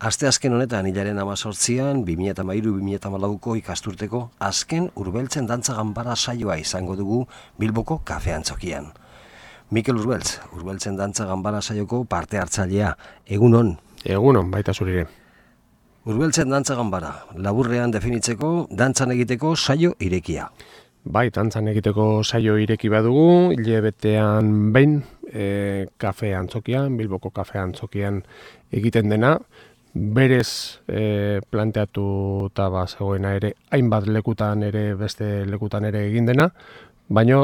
Asteazken honetan hilaren 18an, 2013-2014ko ikasturteko azken Urbeltzen dantza ganbara saioa izango dugu Bilboko Kafe Antzokian. Mikel Urbeltz, Urbeltzen dantza ganbara saioko parte hartzailea. Egunon. Egunon, baita zurire. Urbeltzen dantza ganbara, laburrean definitzeko dantzan egiteko saio irekia. Bai, dantzan egiteko saio ireki badugu, hilebetean behin Kafe Antzokian, Bilboko Kafe Antzokian egiten dena. Berez planteatuta zegoena ere, hainbat lekutan ere, beste lekutan ere egin dena, baina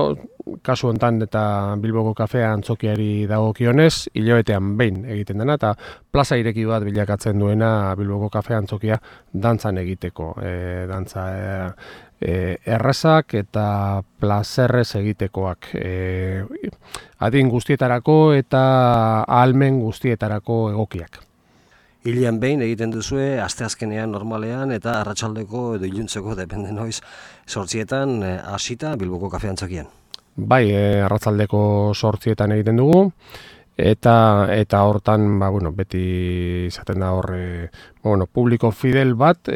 kasu hontan eta Bilboko Kafe Antzokiari dagokionez, hilabetean behin egiten dena, eta plaza ireki bat bilakatzen duena Bilboko Kafe Antzokia dantzan egiteko. Dantza errazak eta plazerrez egitekoak. Adin guztietarako eta ahalmen guztietarako egokiak. Hilean behin egiten duzue, asteazkenean normalean eta arratsaldeko edo iluntzeko depende noiz 8etan hasita Bilboko Kafe Antzokian. Bai, arratsaldeko 8etan egiten dugu eta hortan beti izaten da hor publiko fidel bat,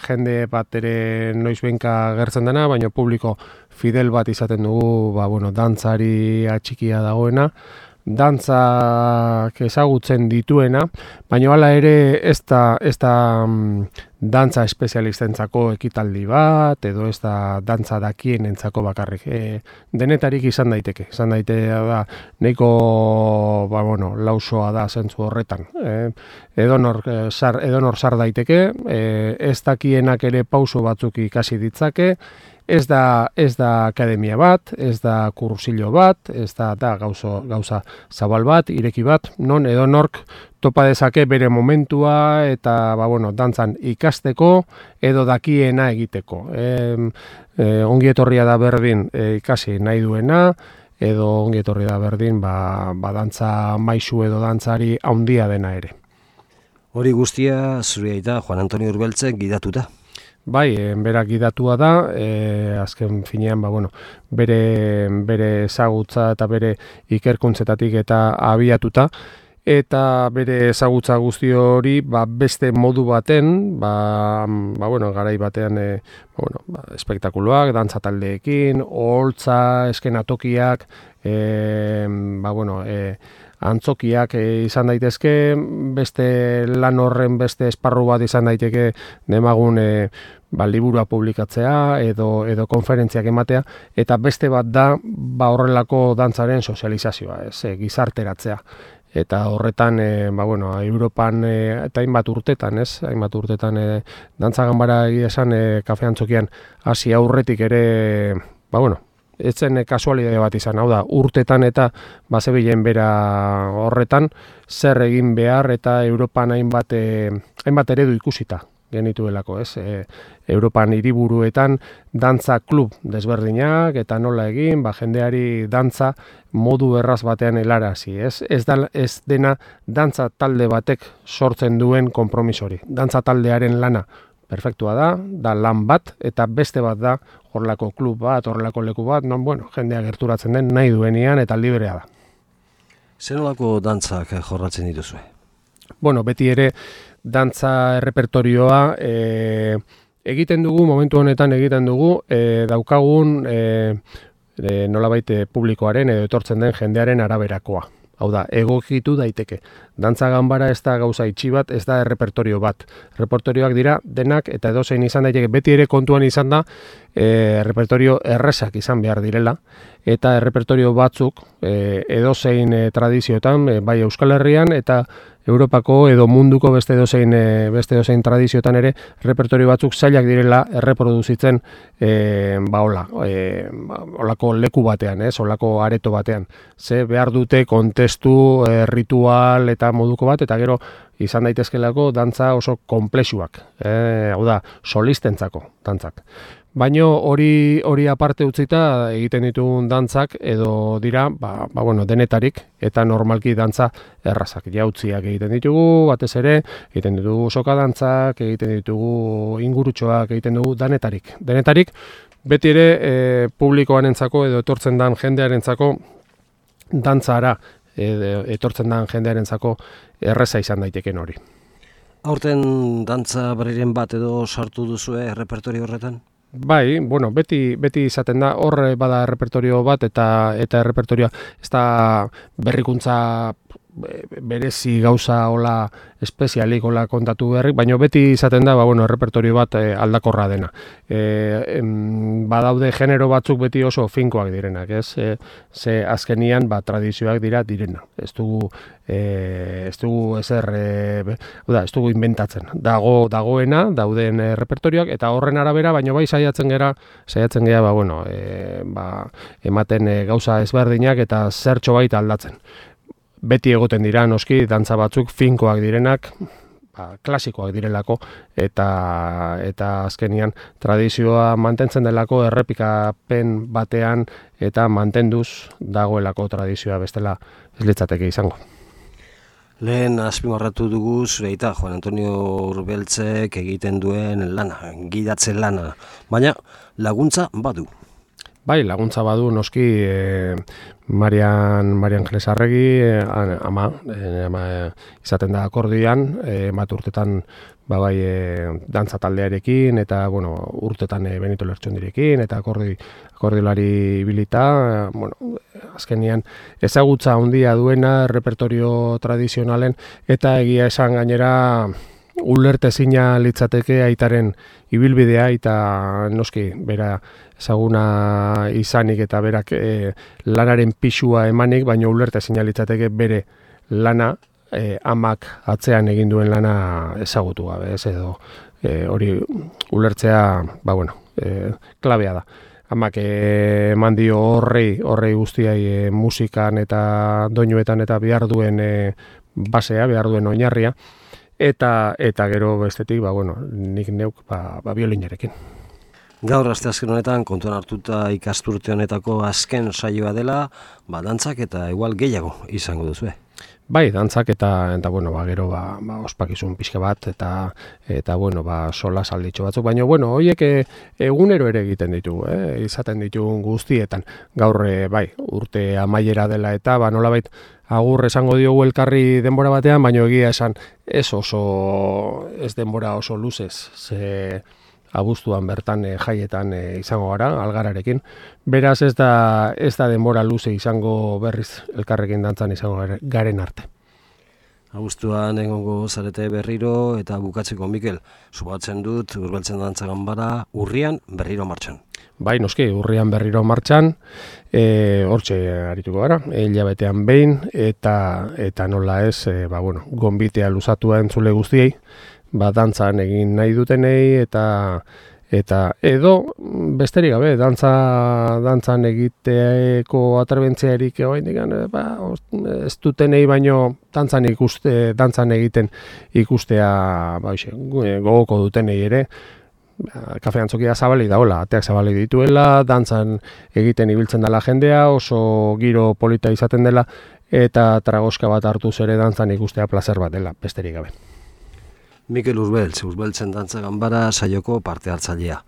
jende bat ere noizbehinka gertzen dena, baina publiko fidel bat izaten dugu, dantzari atxikia dagoena, dantzak ezagutzen dituena, baina hala ere ez da dantza espezialistentzako ekitaldi bat, edo ez da dantza dakienentzako bakarrik. Denetarik izan daiteke da, nahiko lausoa da zentzu horretan. Edonor sar daiteke, ez dakienak ere pauso batzuk ikasi ditzake, ez da akademia bat, ez da kursilo bat, ez da gauza zabal bat, ireki bat, non edonork topa dezake bere momentua eta dantzan ikasteko edo dakiena egiteko. Ongi etorria da berdin ikasi nahi duena, edo ongi etorria da berdin dantza maisu edo dantzari handia dena ere. Hori guztia zure aita Juan Antonio Urbeltzek gidatuta. Bai, berak gidatua da, azken finean bere ezagutza eta bere ikerkuntzetatik eta abiatuta, eta bere ezagutza guzti hori beste modu baten, garai batean espektakuloak, dantza taldeekin, oholtza, eskenatokiak, antzokiak izan daitezke, beste lan horren beste esparru bat izan daiteke demagun liburua publikatzea edo konferentziak ematea, eta beste bat da horrelako dantzaren sozializazioa, gizarteratzea. Eta horretan, Europan eta hainbat urtetan, dantza ganbara egia esan Kafe Antzokian hasi aurretik ere, ez zen kasualidade bat izan, hau da, urtetan eta bazebilen bera horretan, zer egin behar eta Europan hainbat eredu ikusita genituelako, Europan hiriburuetan dantza klub desberdinak eta nola egin, jendeari dantza modu erraz batean helarazi, ez dena dantza talde batek sortzen duen konpromisori. Dantza taldearen lana perfektua da lan bat, eta beste bat da horrelako klub bat, horrelako leku bat, jendea gerturatzen den nahi duenean eta librea da. Zer nolako dantzak jorratzen dituzue? Beti ere dantza errepertorioa egiten dugu, momentu honetan egiten dugu, daukagun nolabait publikoaren edo etortzen den jendearen araberakoa. Hau da, egokitu daiteke. Dantza ganbara ez da gauza itxi bat, ez da errepertorio bat. Errepertorioak dira denak eta edozein izan daiteke. Beti ere kontuan izan da, errepertorio errezak izan behar direla, eta errepertorio batzuk edozein tradizioetan, bai Euskal Herrian eta Europako edo munduko beste edozein tradizioetan ere repertorio batzuk zailak direla erreproduzitzen olako leku batean, olako areto batean. Ze behar dute kontestu, ritual eta moduko bat, eta gero izan daitezkelako dantza oso konplexuak, hau da, solistentzako dantzak. Baina hori aparte utzita egiten ditugun dantzak edo dira, denetarik eta normalki dantza errazak. Jautziak egiten ditugu, batez ere, egiten ditugu soka dantzak, egiten ditugu ingurutxoak, egiten dugu denetarik. Denetarik, beti ere publikoarentzako edo etortzen dan jendearentzako dantzara etortzen den jendearentzako erreza izan daiteken hori. Aurten dantza berriren bat edo sartu duzue errepertorio horretan? Bai, bueno, beti izaten da, hor bada errepertorio bat eta errepertorioa ez da berrikuntza berezi gauza hola espezialik hola kontatu berrik, baina beti izaten da, errepertorio bat aldakorra dena. Badaude genero batzuk beti oso finkoak direnak, ez? Ze azkenian tradizioak direna. Ez dugu ezer, ez dugu inventatzen. Dagoena, dauden repertorioak, eta horren arabera, baina bai saiatzen gera, ematen gauza ezberdinak eta zertxo baita aldatzen. Beti egoten dira, noski, dantza batzuk finkoak direnak, klasikoak direlako, eta azkenian tradizioa mantentzen delako errepikapen batean eta mantenduz dagoelako tradizioa bestela ez litzateke izango. Lehen azpimarratu dugu zure aita, Juan Antonio Urbeltzek egiten duen lana, gidatzen lana, baina laguntza badu. Bai, laguntza badu noski Marian Jesarregi, ama izaten da akordioan, bat urtetan dantza taldearekin, eta urtetan Benito Lertxondirekin, eta akordiolari ibilita, azkenian ezagutza handia duena repertorio tradizionalen, eta egia esan gainera ulertezina litzateke aitaren ibilbidea, eta noski bera ezaguna izanik eta berak lanaren pisua emanik, baina ulertezina litzateke bere lana amak atzean egin duen lana ezagutu gabe, ez edo hori ulertzea, klabea da. Amak eman dio horrei guztiai musikan eta doinuetan eta behar duen basea, behar duen oinarria, eta gero bestetik, nik neuk biolinarekin. Gaur asteazken honetan kontuan hartuta ikasturte honetako azken saioa dela, dantzak eta igual gehiago izango duzue. Bai, dantzak eta gero ospakizun pixka bat eta sola salditxo batzuk, baina horiek egunero ere egiten ditugu, izaten ditugun guztietan. Gaur urte amaiera dela eta nolabait agur esango diogu elkarri denbora batean, baina egia esan ez denbora oso luzez, ze abuztuan bertan jaietan izango gara, Algararekin. Beraz ez da denbora luze izango berriz elkarrekin dantzan izango garen arte. Abuztuan egongo zarete berriro eta bukatzeko Mikel, subatzen dut Urbeltzen Dantza Ganbara urrian berriro martxan. Bai, noski, urrian berriro martxan, hortxe arituko gara, hilabetean behin, eta nola ez, gonbitea luzatua entzule guztiei, dantzan egin nahi dutenei, eta edo besterik gabe, dantzan egiteko atrebentziarik ez dutenei baino dantzan egiten ikustea gogoko dutenei ere, Kafe Antzokia zabalik daola, ateak zabalik dituela, dantzan egiten ibiltzen dela jendea, oso giro polita izaten dela, eta tragoska bat hartuz ere dantzan ikustea plazer bat dela, besterik gabe. Mikel Urbeltzen Dantza Ganbara saioko parte hartzailea.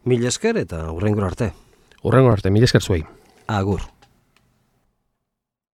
Mil esker eta hurrengora arte. Hurrengora arte, mil esker zuei. Agur.